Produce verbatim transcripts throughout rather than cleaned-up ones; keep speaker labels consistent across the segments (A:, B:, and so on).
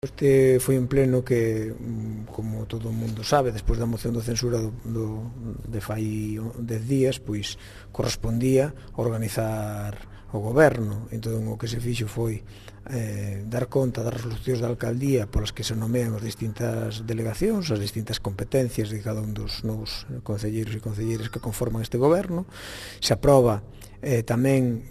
A: Este foi un pleno que, como todo o mundo sabe, despois da moción de censura do, do, de fai dez días, pois correspondía organizar o goberno. Entón o que se fixo foi eh, dar conta das resolucións da alcaldía polas que se nomean as distintas delegacións, as distintas competencias de cada un dos novos concelleiros e concelleiras que conforman este goberno. Se aproba Eh, tamén,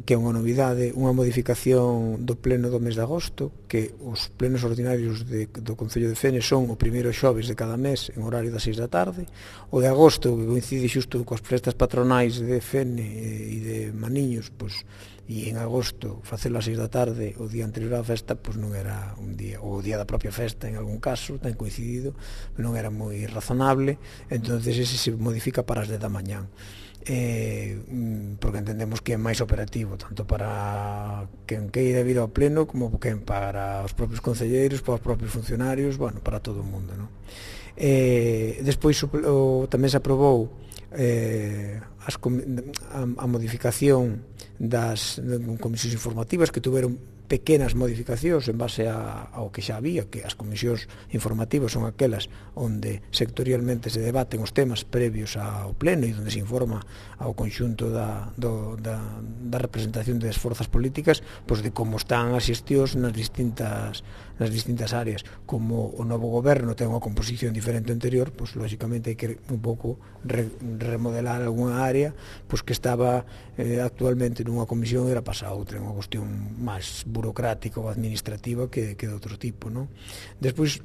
A: que é unha novidade, unha modificación do pleno do mes de agosto, que os plenos ordinarios de, do Concello de Fene son o primeiro xoves de cada mes en horario das seis da tarde. O de agosto, que coincide xusto coas festas patronais de Fene e de Maniños, pois, e en agosto facelo ás seis da tarde o día anterior á festa, pois non era un día, ou o día da propia festa en algún caso, ten coincidido, non era moi razonable. Entonces ese se modifica para as dez da mañán. Eh, porque entendemos que é máis operativo tanto para quen queira vir ao pleno como quen para os propios concelleiros, para os propios funcionarios, bueno, para todo o mundo, non? Eh, despois o, o, tamén se aprobou eh, as, a, a modificación das comisións informativas, que tuveron pequenas modificacións en base a, ao que xa había, que as comisións informativas son aquelas onde sectorialmente se debaten os temas previos ao pleno e onde se informa ao conxunto da, do, da, da representación das forzas políticas, pois de como están as xestións nas distintas, nas distintas áreas. Como o novo goberno ten unha composición diferente ao anterior, pois lógicamente hai que un pouco re, remodelar algunha área pois que estaba eh, actualmente nunha comisión e era pasada a outra, unha cuestión máis burocrática ou administrativa que, que de outro tipo, non? Despois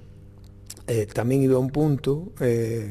A: eh, tamén iba un punto eh,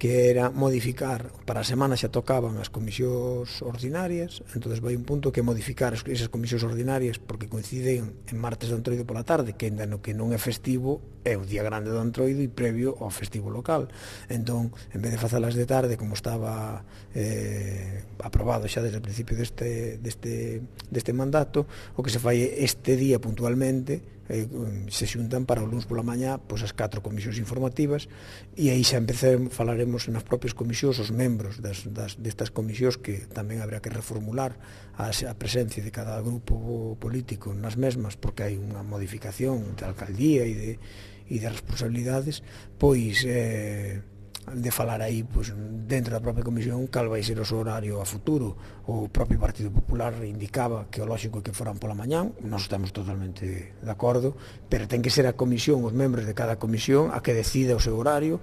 A: que era modificar, para a semana xa tocaban as comisións ordinarias, entonces vai un punto que modificar esas comisións ordinarias porque coinciden en martes do Entroido pola tarde, que ainda no que non é festivo é o día grande do Entroido e previo ao festivo local. Entón, en vez de facelas de tarde como estaba eh, aprobado xa desde o principio deste, deste, deste mandato, o que se fai este día puntualmente eh, se xuntan para o luns pola mañá pois as catro comisións informativas, e aí xa empezaremos, falaremos nas propias comisións, os membros das, das, destas comisións, que tamén habrá que reformular a, a presencia de cada grupo político nas mesmas, porque hai unha modificación de alcaldía e de, e de responsabilidades, pois eh, de falar aí pois, dentro da propia comisión cal vai ser o seu horario a futuro. O propio Partido Popular indicaba que o lógico é que foran pola mañán, nós estamos totalmente de acordo, pero ten que ser a comisión, os membros de cada comisión a que decida o seu horario,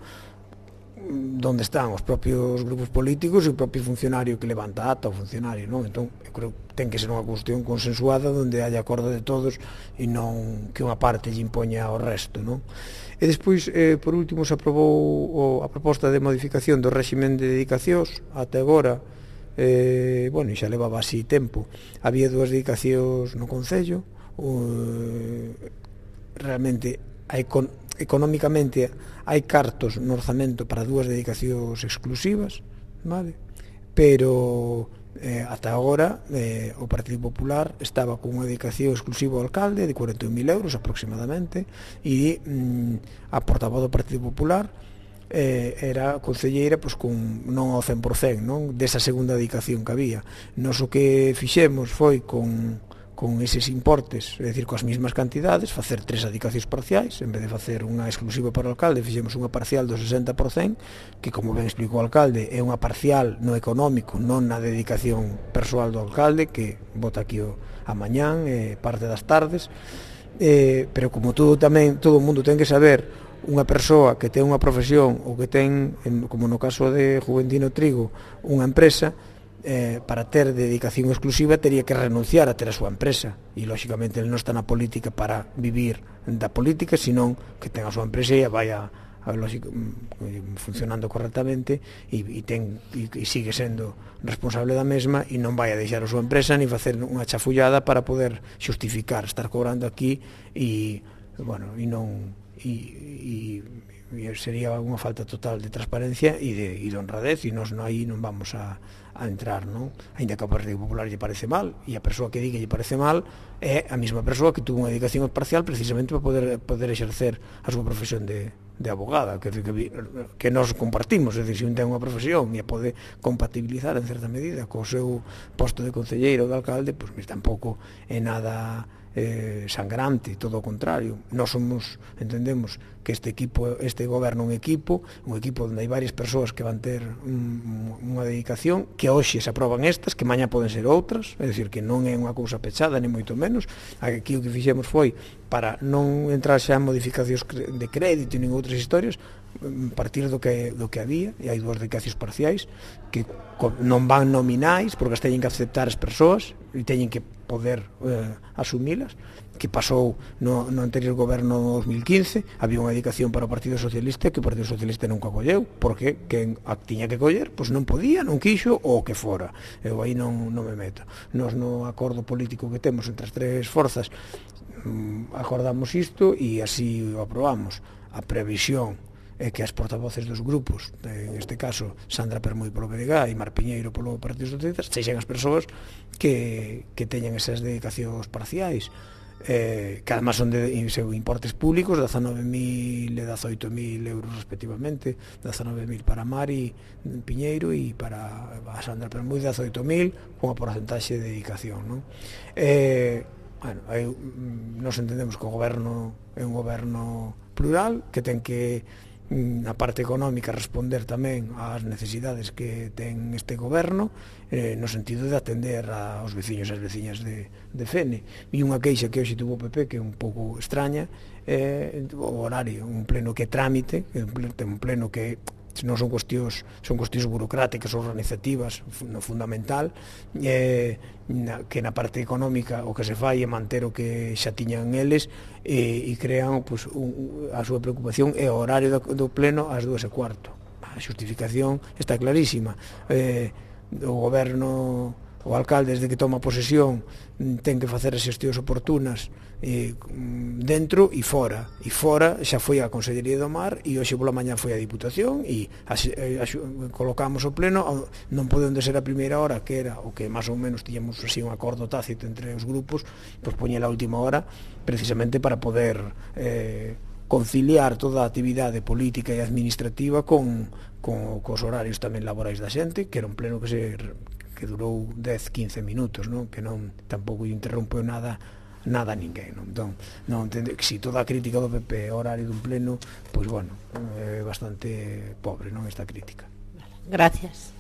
A: donde están os propios grupos políticos e o propio funcionario que levanta ata o funcionario, non? Entón, eu creo que ten que ser unha cuestión consensuada onde haya acordo de todos e non que unha parte lle impoña ao resto, non? E despois, eh, por último, se aprobou o, a proposta de modificación do réximen de dedicacións. Até agora, eh, bueno, xa levaba así tempo, había dúas dedicacións no Concello, eh, realmente hai con económicamente hai cartos no orzamento para dúas dedicacións exclusivas, vale? Pero eh, ata agora eh, o Partido Popular estaba con unha dedicación exclusiva ao alcalde de cuarenta e un mil euros aproximadamente, e mm, a portavoz do Partido Popular eh, era concelleira pois, con, non ao cen por cen, non? Desa segunda dedicación que había. Nos o que fixemos foi con con eses importes, é dicir, coas mesmas cantidades, facer tres dedicacións parciais, en vez de facer unha exclusiva para o alcalde, fixemos unha parcial do sesenta por cen, que, como ben explicou o alcalde, é unha parcial no económico, non na dedicación persoal do alcalde, que vota aquí o, a mañán, eh, parte das tardes, eh, pero como todo tamén, todo o mundo ten que saber, unha persoa que ten unha profesión, ou que ten, como no caso de Juventino Trigo, unha empresa, Eh, para ter dedicación exclusiva teria que renunciar a ter a súa empresa, e lógicamente ele non está na política para vivir da política, senón que ten a súa empresa e vai a, a, lógico, funcionando correctamente e, e, ten, e, e sigue sendo responsable da mesma, e non vai a deixar a súa empresa ni facer unha chafullada para poder xustificar estar cobrando aquí e, bueno, e non e, e sería unha falta total de transparencia e de, e de honradez, e nós aí non vamos a, a entrar, non? Ainda que ao Partido Popular lle parece mal, e a persoa que di que lle parece mal é a mesma persoa que tuvo unha dedicación parcial precisamente para poder, poder exercer a súa profesión de, de abogada, que, que, que nós compartimos, é dicir, se un ten unha profesión e a pode compatibilizar en certa medida co seu posto de concelleiro ou de alcalde, pois pues, tampouco é nada eh, sangrante, todo o contrario. Nós somos, entendemos que este equipo, este goberno é un equipo, un equipo onde hai varias persoas que van ter un, unha dedicación, que hoxe se aproban estas, que mañá poden ser outras, é dicir, que non é unha cousa pechada, ni moito menos. Aquí o que fixemos foi, para non entrar xa en modificacións de crédito nin outras historias, partir do que do que había, e hai dúas dedicacións parciais que non van nominais porque as teñen que aceptar as persoas e teñen que poder eh, asumilas, que pasou no, no anterior goberno no dos mil quince. Había unha dedicación para o Partido Socialista que o Partido Socialista nunca colleu, porque quen a tiña que coller, pois non podía, non quixo, ou que fora. Eu aí non, non me meto. Nos no acordo político que temos entre as tres forzas acordamos isto e así o aprobamos. A previsión é que as portavoces dos grupos, en este caso Sandra Permuy polo P D G e Mar Piñeiro polo Partido Socialista, sexen as persoas que, que teñen esas dedicacións parciais, eh, que además son de importes públicos, dezanove mil e dezoito mil euros respectivamente, dezanove mil para Mari Piñeiro e para a Sandra Permuy dezoito mil, con a porcentaxe de dedicación, non? Eh, bueno, aí, nos entendemos que o goberno é un goberno plural, que ten que, na parte económica, responder tamén ás necesidades que ten este goberno, eh, no sentido de atender aos veciños e as veciñas de, de Fene. E unha queixa que hoxe tuvo o P P, que é un pouco extraña, é o horario, un pleno que é trámite, un pleno que non son cuestións, son cuestións burocráticas, organizativas, no fundamental, eh, na, que na parte económica o que se fai é manter o que xa tiñan eles, e, e crean, pues, un, a súa preocupación é o horario do, do pleno ás dúas e cuarto. A xustificación está clarísima. Eh, o goberno, o alcalde, desde que toma posesión, ten que facer as xestións oportunas, eh, dentro e fora, e fora xa foi a Consellería do Mar, e hoxe pola mañá foi a Diputación, e as, as, colocamos o pleno, non podendo ser a primeira hora, que era o que máis ou menos tiñamos así un acordo tácito entre os grupos, pois poñe a última hora precisamente para poder eh, conciliar toda a actividade política e administrativa con, con cos horarios tamén laborais da xente, que era un pleno que se que durou dez, quince minutos, non? Que non tampouco interrompeu nada nada a ninguén, non? Entón, non entende que si toda a crítica do P P é horario dun pleno, pois bueno, é bastante pobre, non, esta crítica.
B: Gracias.